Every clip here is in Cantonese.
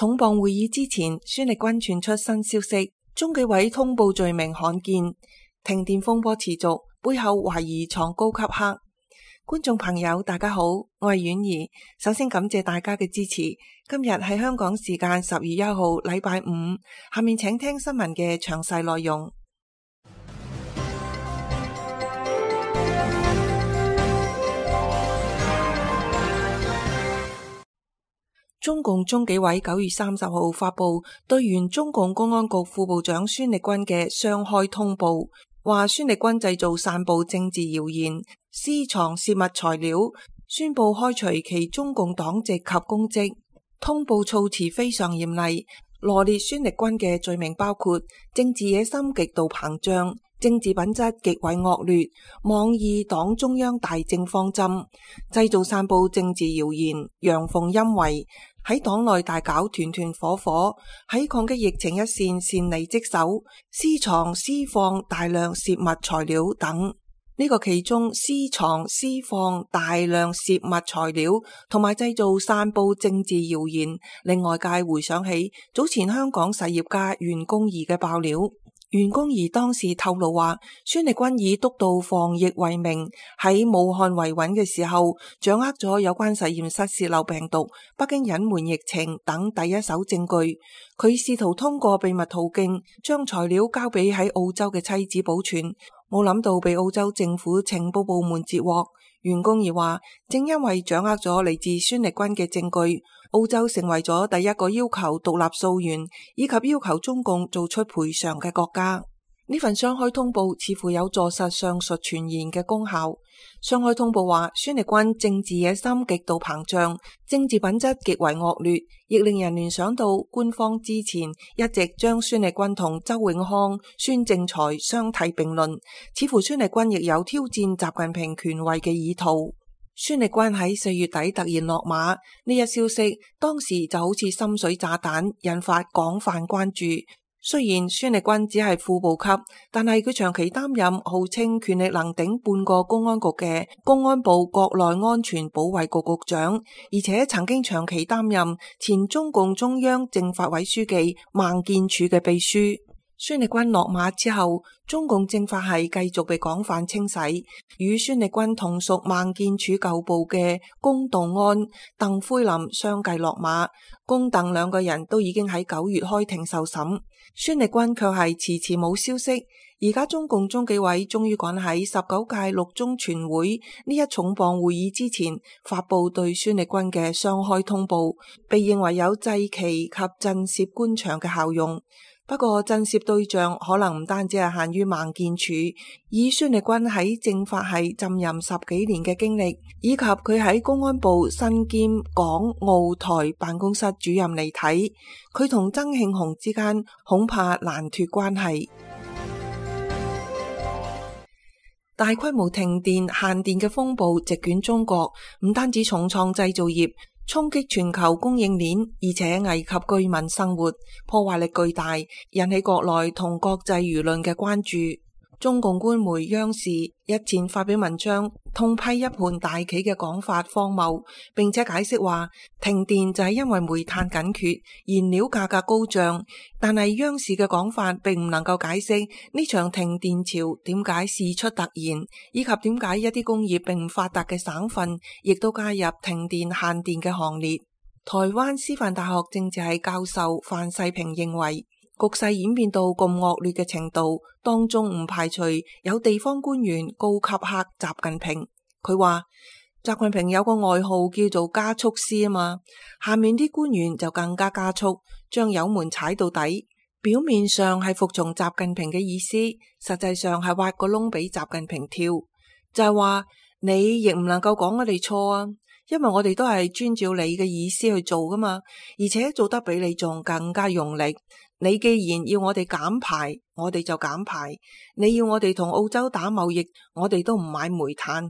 重磅會議之前，孫力軍傳出新消息，中紀委通報罪名罕見，停電風波持續，背後懷疑藏高級黑。觀眾朋友大家好，我係婉兒，首先感謝大家嘅支持。今日係香港時間10月1號禮拜五，下面請聽新聞嘅詳細內容。中共中紀委9月30號發布對原中共公安局副部長孫力軍嘅雙開通報，話孫力軍製造散布政治謠言，私藏泄密材料，宣布開除其中共黨籍及公職。通報措辭非常嚴厲，羅列孫力軍嘅罪名包括政治野心極度膨脹、政治品質極為惡劣、妄議黨中央大政方針、製造散布政治謠言、陽奉陰違，喺黨內大搞團團伙伙，喺抗擊疫情一線擅離職守，私藏私放大量泄密材料等。呢個其中私藏私放大量泄密材料同埋製造散布政治謠言，令外界回想起早前香港實業家袁弓夷嘅爆料。袁弓夷當時透露話，孫力軍以督導防疫為名，喺武漢維穩嘅時候，掌握咗有關實驗室洩漏病毒、北京隱瞞疫情等第一手證據。佢試圖通過秘密途徑將材料交俾喺澳洲嘅妻子保存，冇諗到被澳洲政府情報部門截獲。袁弓夷話，正因為掌握咗嚟自孫力軍嘅證據，澳洲成為咗第一個要求獨立溯源以及要求中共做出賠償嘅國家。呢份雙開通報似乎有助實上述傳言嘅功效。雙開通報話，孫力軍政治野心極度膨脹，政治品質極為惡劣，亦令人聯想到官方之前一直將孫力軍同周永康、孫政才相提並論，似乎孫力軍亦有挑戰習近平權威嘅意圖。孫力軍喺4月底突然落馬，呢一消息當時就好似深水炸彈，引發廣泛關注。雖然孫力軍只係副部級，但係佢長期擔任號稱權力能頂半個公安局嘅公安部國內安全保衛局局長，而且曾經長期擔任前中共中央政法委書記孟建柱嘅秘書。孫力軍落馬之後，中共政法系繼續被廣泛清洗，與孫力軍同屬孟建柱舊部嘅龔道安、鄧魁林相繼落馬，龔鄧兩個人都已經喺9月開庭受審，孫力軍卻係遲遲冇消息。而家中共中紀委終於趕喺19屆六中全會呢一重磅會議之前發布對孫力軍嘅雙開通報，被認為有祭旗及震懾官場嘅效用。不過震懾對象可能唔單止係限於孟建柱，以孫力軍喺政法系浸淫10幾年嘅經歷，以及佢喺公安部身兼港澳台辦公室主任嚟睇，佢同曾慶紅之間恐怕難脫關係。大規模停電限電嘅風暴席捲中國，唔單止重創製造業，衝擊全球供應鏈，而且危及居民生活，破壞力巨大，引起國內同國際輿論嘅關注。中共官媒央視日前發表文章，痛批一盤大棋嘅講法荒謬，並且解釋話停電就係因為煤炭緊缺，燃料價格高漲。但係央視嘅講法並唔能夠解釋呢場停電潮點解事出突然，以及點解一啲工業並唔發達嘅省份亦都加入停電限電嘅行列。台灣師範大學政治系教授范世平認為，局勢演變到咁惡劣嘅程度，當中唔排除有地方官員高級黑習近平。佢話習近平有個外號叫做加速師啊嘛，下面啲官員就更加加速，將油門踩到底，表面上係服從習近平嘅意思，實際上係挖個窿俾習近平跳，就係話你亦唔能夠講我哋錯啊，因為我哋都係遵照你嘅意思去做噶嘛，而且做得比你仲更加用力。你既然要我哋減排，我哋就減排；你要我哋同澳洲打貿易，我哋都唔買煤炭。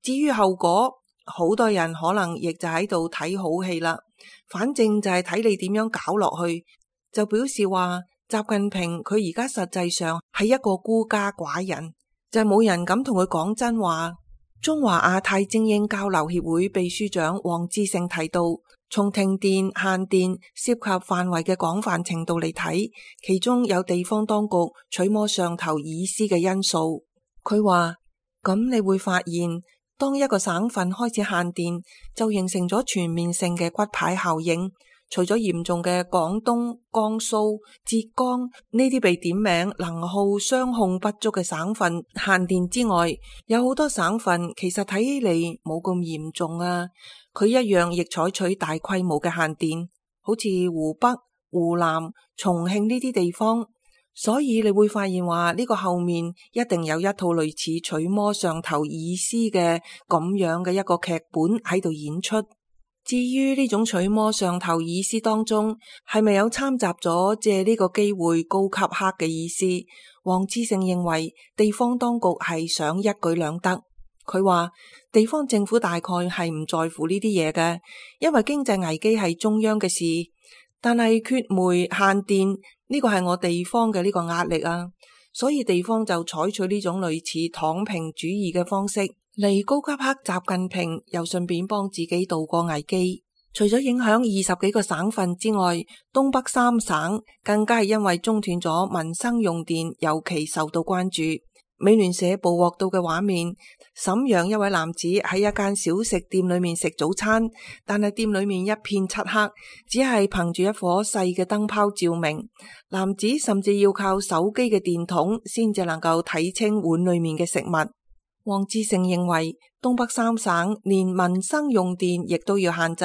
至於後果，好多人可能亦就喺度睇好戲啦。反正就係睇你點樣搞落去，就表示話習近平佢而家實際上係一個孤家寡人，就係冇人敢同佢講真話。中華亞太精英交流協會秘書長黃志勝提到，從停電限電涉及範圍嘅廣泛程度嚟睇，其中有地方當局取摸上頭意思嘅因素。佢話，咁你會發現，當一個省份開始限電，就形成咗全面性嘅骨牌效應。除咗嚴重嘅廣東、江蘇、浙江呢啲被點名能耗雙控不足嘅省份限電之外，有好多省份其實睇起嚟冇咁嚴重啊。佢一樣亦採取大規模嘅限電，好似湖北、湖南、重慶呢啲地方。所以你會發現話呢個後面一定有一套類似取摸上頭意思嘅咁樣嘅一個劇本喺度演出。至於呢種取摸上頭意思當中係咪有摻雜咗借呢個機會高級黑嘅意思，黃志勝認為地方當局係想一舉兩得。佢話地方政府大概係唔在乎呢啲嘢嘅，因為經濟危機係中央嘅事，但係缺煤限電呢個係我地方嘅呢個壓力啊，所以地方就採取呢種類似躺平主義嘅方式嚟高級黑習近平，又順便幫自己渡過危機。除咗影響20幾個省份之外，東北3省更加係因為中斷咗民生用電尤其受到關注。美聯社捕獲到嘅畫面，瀋陽一位男子喺一間小食店裏面食早餐，但係店裏面一片漆黑，只係憑住一顆細嘅燈泡照明。男子甚至要靠手機嘅電筒先至能夠睇清碗裏面嘅食物。黃志勝認為東北3省連民生用電亦都要限制，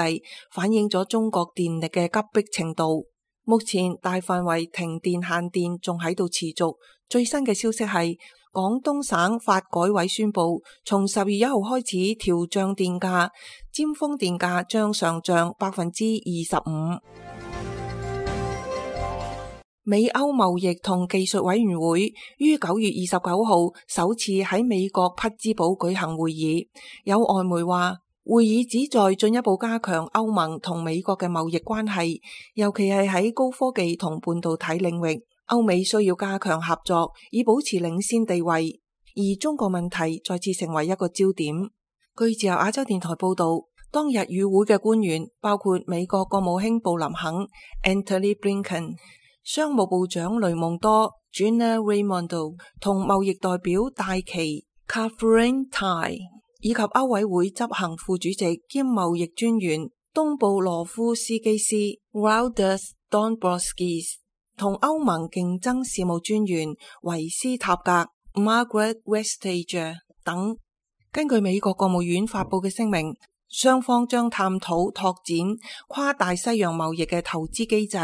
反映咗中國電力嘅急迫程度。目前大範圍停電限電仲喺度持續。最新嘅消息係廣東省發改委宣布，從10月1號開始調漲電價，尖峰電價將上漲25%。美歐貿易同技術委員會於9月29號首次喺美國匹茲堡舉行會議，有外媒話會議旨在進一步加強歐盟同美國嘅貿易關係，尤其係喺高科技同半導體領域，歐美需要加強合作以保持領先地位，而中國問題再次成為一個焦點。據自由亞洲電台報道，當日與會嘅官員包括美國國務卿布林肯 Antony Blinken、商務部長雷蒙多 Gina Raimondo 同貿易代表戴琪 Catherine Tai， 以及歐委會執行副主席兼貿易專員東布羅夫斯基斯 Valdis Dombrovskis 同歐盟競爭事務專員維斯塔格 Margaret Vestager 等。根據美國國務院發佈嘅聲明，雙方將探討拓展跨大西洋貿易嘅投資機制，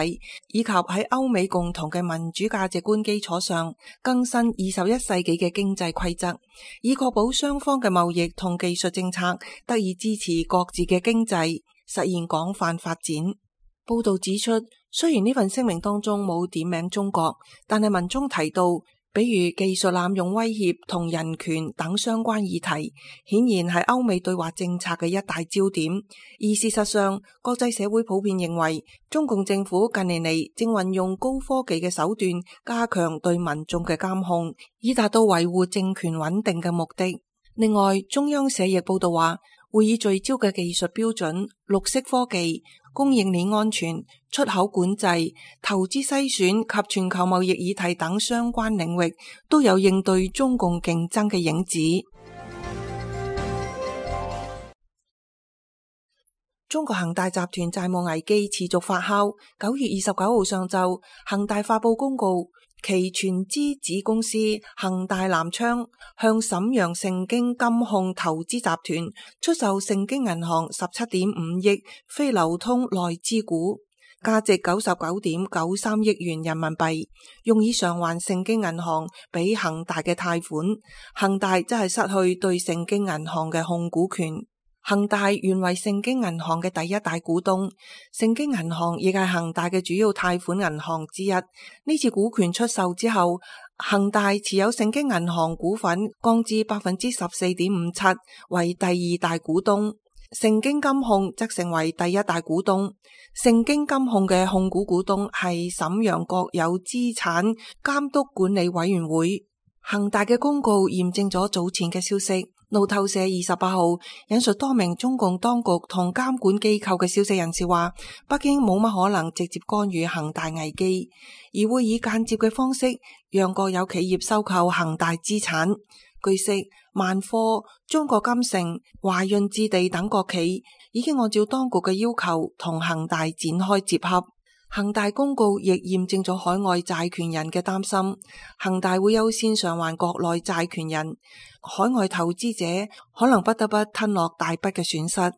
以及喺歐美共同嘅民主價值觀基礎上更新21世紀嘅經濟規則，以確保雙方嘅貿易同技術政策得以支持各自嘅經濟，實現廣泛發展。報道指出，雖然呢份聲明當中冇點名中國，但係文中提到比如技術濫用威脅同人權等相關議題，顯然係歐美對華政策嘅一大焦點。而事實上，國際社會普遍認為，中共政府近年嚟正運用高科技嘅手段，加強對民眾嘅監控，以達到維護政權穩定嘅目的。另外，中央社亦報道話，會議聚焦嘅技術標準、綠色科技、供應鏈安全、出口管制、投資篩選及全球貿易議題等相關領域都有應對中共競爭嘅影子。中國恒大集團債務危機持續發酵。9月29號上晝，恒大發佈公告，其全資子公司恒大南昌向瀋陽盛京金控投資集團出售盛京銀行17.5億非流通內資股，價值99.93億元人民幣，用以償還盛京銀行俾恒大嘅貸款。恒大則係失去對盛京銀行嘅控股權。恒大原為盛京銀行嘅第一大股東，盛京銀行亦係恒大嘅主要貸款銀行之一。呢次股權出售之後，恒大持有盛京銀行股份降至 14.57%， 為第二大股東。盛京金控則成為第一大股東。盛京金控嘅控股股東係瀋陽國有資產監督管理委員會。恒大嘅公告驗證咗早前嘅消息，路透社28號引述多名中共當局同監管機構嘅消息人士話，北京冇乜可能直接干預恒大危機，而會以間接嘅方式讓國有企業收購恒大資產。據悉，萬科、中國金城、華潤置地等國企已經按照當局嘅要求同恒大展開接洽。恒大公告亦驗證咗海外債權人嘅擔心，恒大會優先償還國內債權人，海外投資者可能不得不吞落大筆嘅損失。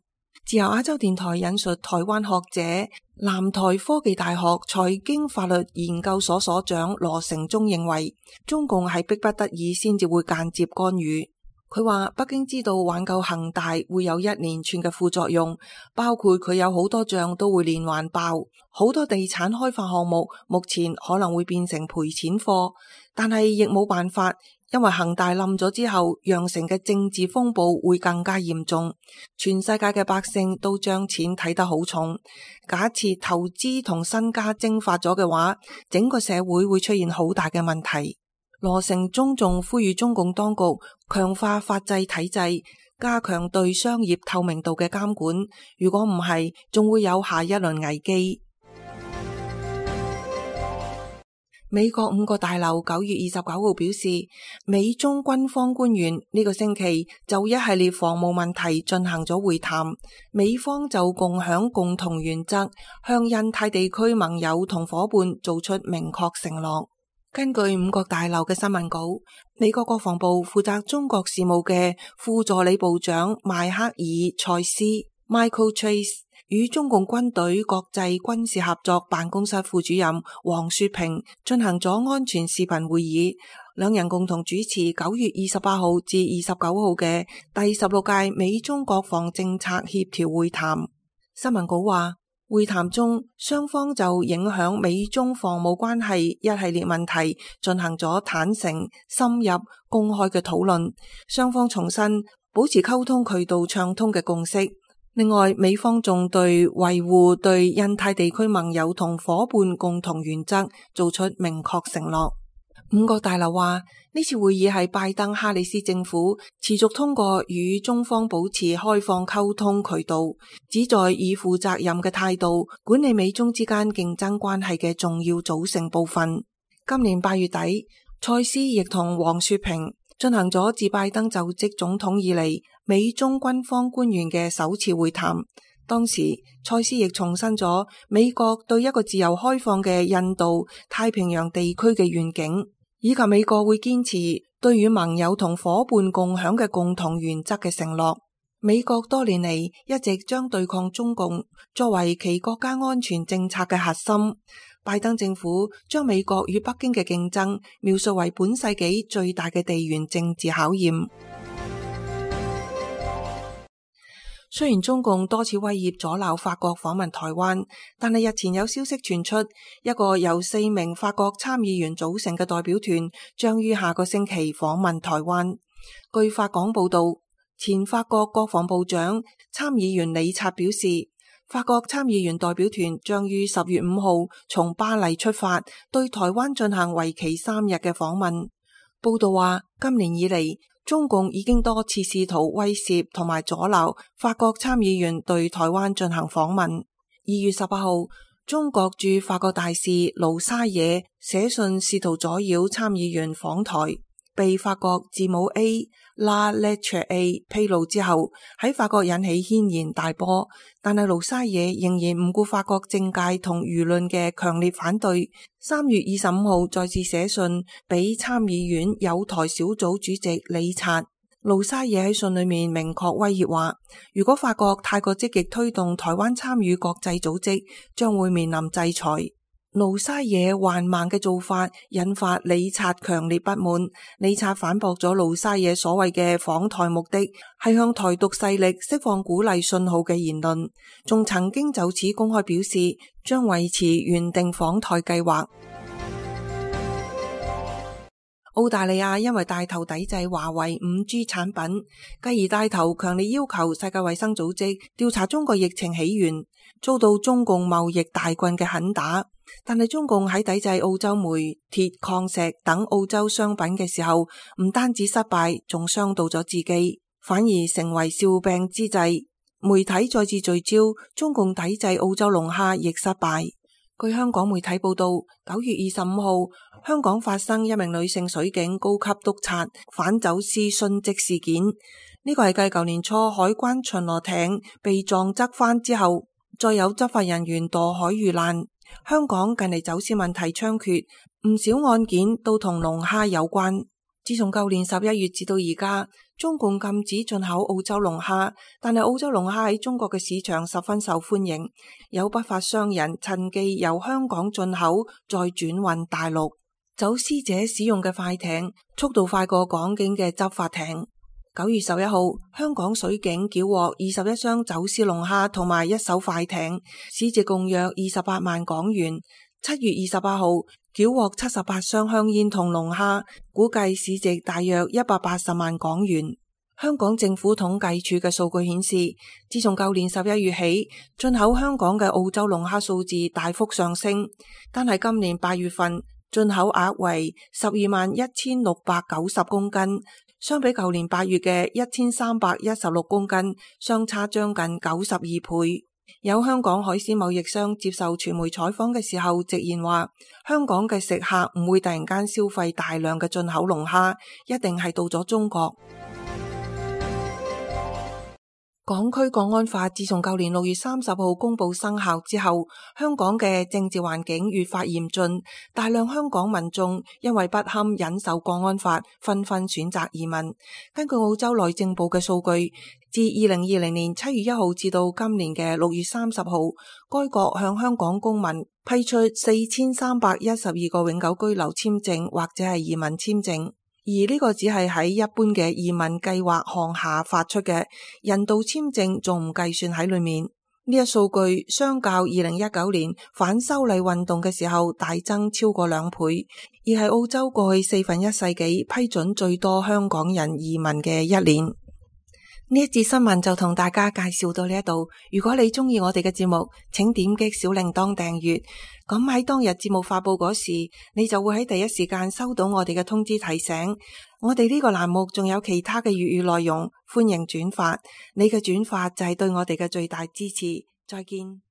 自由亞洲電台引述台灣學者、南台科技大學財經法律研究所所長羅成忠認為，中共係迫不得已先至會間接干預。佢話北京知道挽救恒大會有一連串嘅副作用，包括佢有好多賬都會連環爆，好多地產開發項目目前可能會變成賠錢貨，但係亦冇辦法，因為恒大冧咗之後，釀成嘅政治風暴會更加嚴重，全世界嘅百姓都將錢睇得好重，假設投資同身家蒸發咗嘅話，整個社會會出現好大嘅問題。羅成忠仲呼籲中共當局強化法制體制，加強對商業透明度嘅監管，如果唔係，仲會有下一輪危機。美國5個大樓9月29號表示，美中軍方官員呢個星期就一系列防務問題進行咗會談，美方就共享共同原則，向印太地區盟友同夥伴做出明確承諾。根據5個大樓嘅新聞稿，美國國防部負責中國事務嘅副助理部長邁克爾·蔡斯 （Michael Chase） 與中共軍隊國際軍事合作辦公室副主任黃雪平進行咗安全視頻會議，兩人共同主持9月28號至29號嘅第16屆美中國防政策協調會談。新聞稿話，會談中，雙方就影響美中防務關係一系列問題進行咗坦誠、深入、公開嘅討論。雙方重申保持溝通渠道暢通嘅共識。另外，美方仲對維護對印太地區盟友同夥伴共同原則做出明確承諾。5個大樓話，呢次會議係拜登哈里斯政府持續通過與中方保持開放溝通渠道，旨在以負責任嘅態度管理美中之間競爭關係嘅重要組成部分。今年8月底，蔡斯亦同黃雪平進行咗自拜登就職總統以嚟美中軍方官員嘅首次會談。當時，蔡斯亦重申咗美國對一個自由開放嘅印度太平洋地區嘅願景，以及美國會堅持對與盟友同夥伴共享嘅共同原則嘅承諾。美國多年嚟一直將對抗中共作為其國家安全政策嘅核心。拜登政府將美國與北京嘅競爭描述為本世紀最大嘅地緣政治考驗。雖然中共多次威脅阻撓法國訪問台灣，但係日前有消息傳出，一個由4名法國參議員組成嘅代表團將於下個星期訪問台灣。據法廣報道，前法國國防部長參議員李察表示，法國參議員代表團將於10月5號從巴黎出發，對台灣進行為期3日嘅訪問。報道話，今年以嚟，中共已經多次試圖威脅同埋阻撓法國參議員對台灣進行訪問。2月18號，中國駐法國大使盧沙野寫信試圖阻擾參議員訪台，被法國字母 La Lettre A 披露之後，喺法國引起軒然大波。但係盧沙野仍然唔顧法國政界同輿論嘅強烈反對。3月25號再次寫信俾參議院友台小組主席李察。盧沙野喺信裏面明確威脅話，如果法國太過積極推動台灣參與國際組織，將會面臨制裁。盧沙野緩慢嘅做法引發李察強烈不滿。李察反駁咗盧沙野所謂嘅訪台目的係向台獨勢力釋放鼓勵信號嘅言論，仲曾經就此公開表示將維持原定訪台計劃。澳大利亞因為帶頭抵制華為 5G 產品，繼而帶頭強烈要求世界衛生組織調查中國疫情起源，遭到中共貿易大軍嘅狠打。但係中共喺抵制澳洲煤、鐵、礦石等澳洲商品嘅時候，唔單止失敗，仲傷到咗自己。反而成為笑柄之際。媒體再次聚焦中共抵制澳洲龍蝦亦失敗。據香港媒體報道，9月25號，香港發生一名女性水警高級督察反走私殉職事件。呢個係繼舊年初海關巡邏艇被撞側翻之後，再有執法人員墮海遇難。香港近嚟走私問題猖獗，唔少案件都同龍蝦有關。自從舊年11月至到而家，中共禁止進口澳洲龍蝦，但係澳洲龍蝦喺中國嘅市場十分受歡迎，有不法商人趁機由香港進口再轉運大陸。走私者使用嘅快艇速度快過港警嘅執法艇。9月11號，香港水警繳獲21箱走私龍蝦同埋1艘快艇，市值共約28萬港元。7月28號，繳獲78箱香煙同龍蝦，估計市值大約180萬港元。香港政府統計處嘅數據顯示，自從舊年11月起，進口香港嘅澳洲龍蝦數字大幅上升，但係今年8月份進口額為121690公斤，相比舊年8月嘅1316公斤，相差將近92倍。有香港海鮮貿易商接受傳媒採訪嘅時候直言話，香港嘅食客唔會突然間消費大量嘅進口龍蝦，一定係到咗中國。港區國安法自從舊年6月30號公布生效之後，香港嘅政治環境越發嚴峻，大量香港民眾因為不堪忍受國安法，紛紛選擇移民。根據澳洲內政部嘅數據，自2020年7月1號至到今年嘅6月30號，該國向香港公民批出4312個永久居留簽證或者係移民簽證。而呢個只係喺一般嘅移民計劃項下發出嘅，人道簽證仲唔計算喺裏面。呢一數據相較2019年反修例運動嘅時候大增超過2倍，而係澳洲過去1/4世紀批准最多香港人移民嘅一年。呢一節新聞就同大家介紹到呢一度。如果你中意我哋嘅節目，請點擊小鈴鐺訂閱。咁喺當日節目發佈嗰時，你就會喺第一時間收到我哋嘅通知提醒。我哋呢個欄目仲有其他嘅粵語內容，歡迎轉發。你嘅轉發就係對我哋嘅最大支持。再見。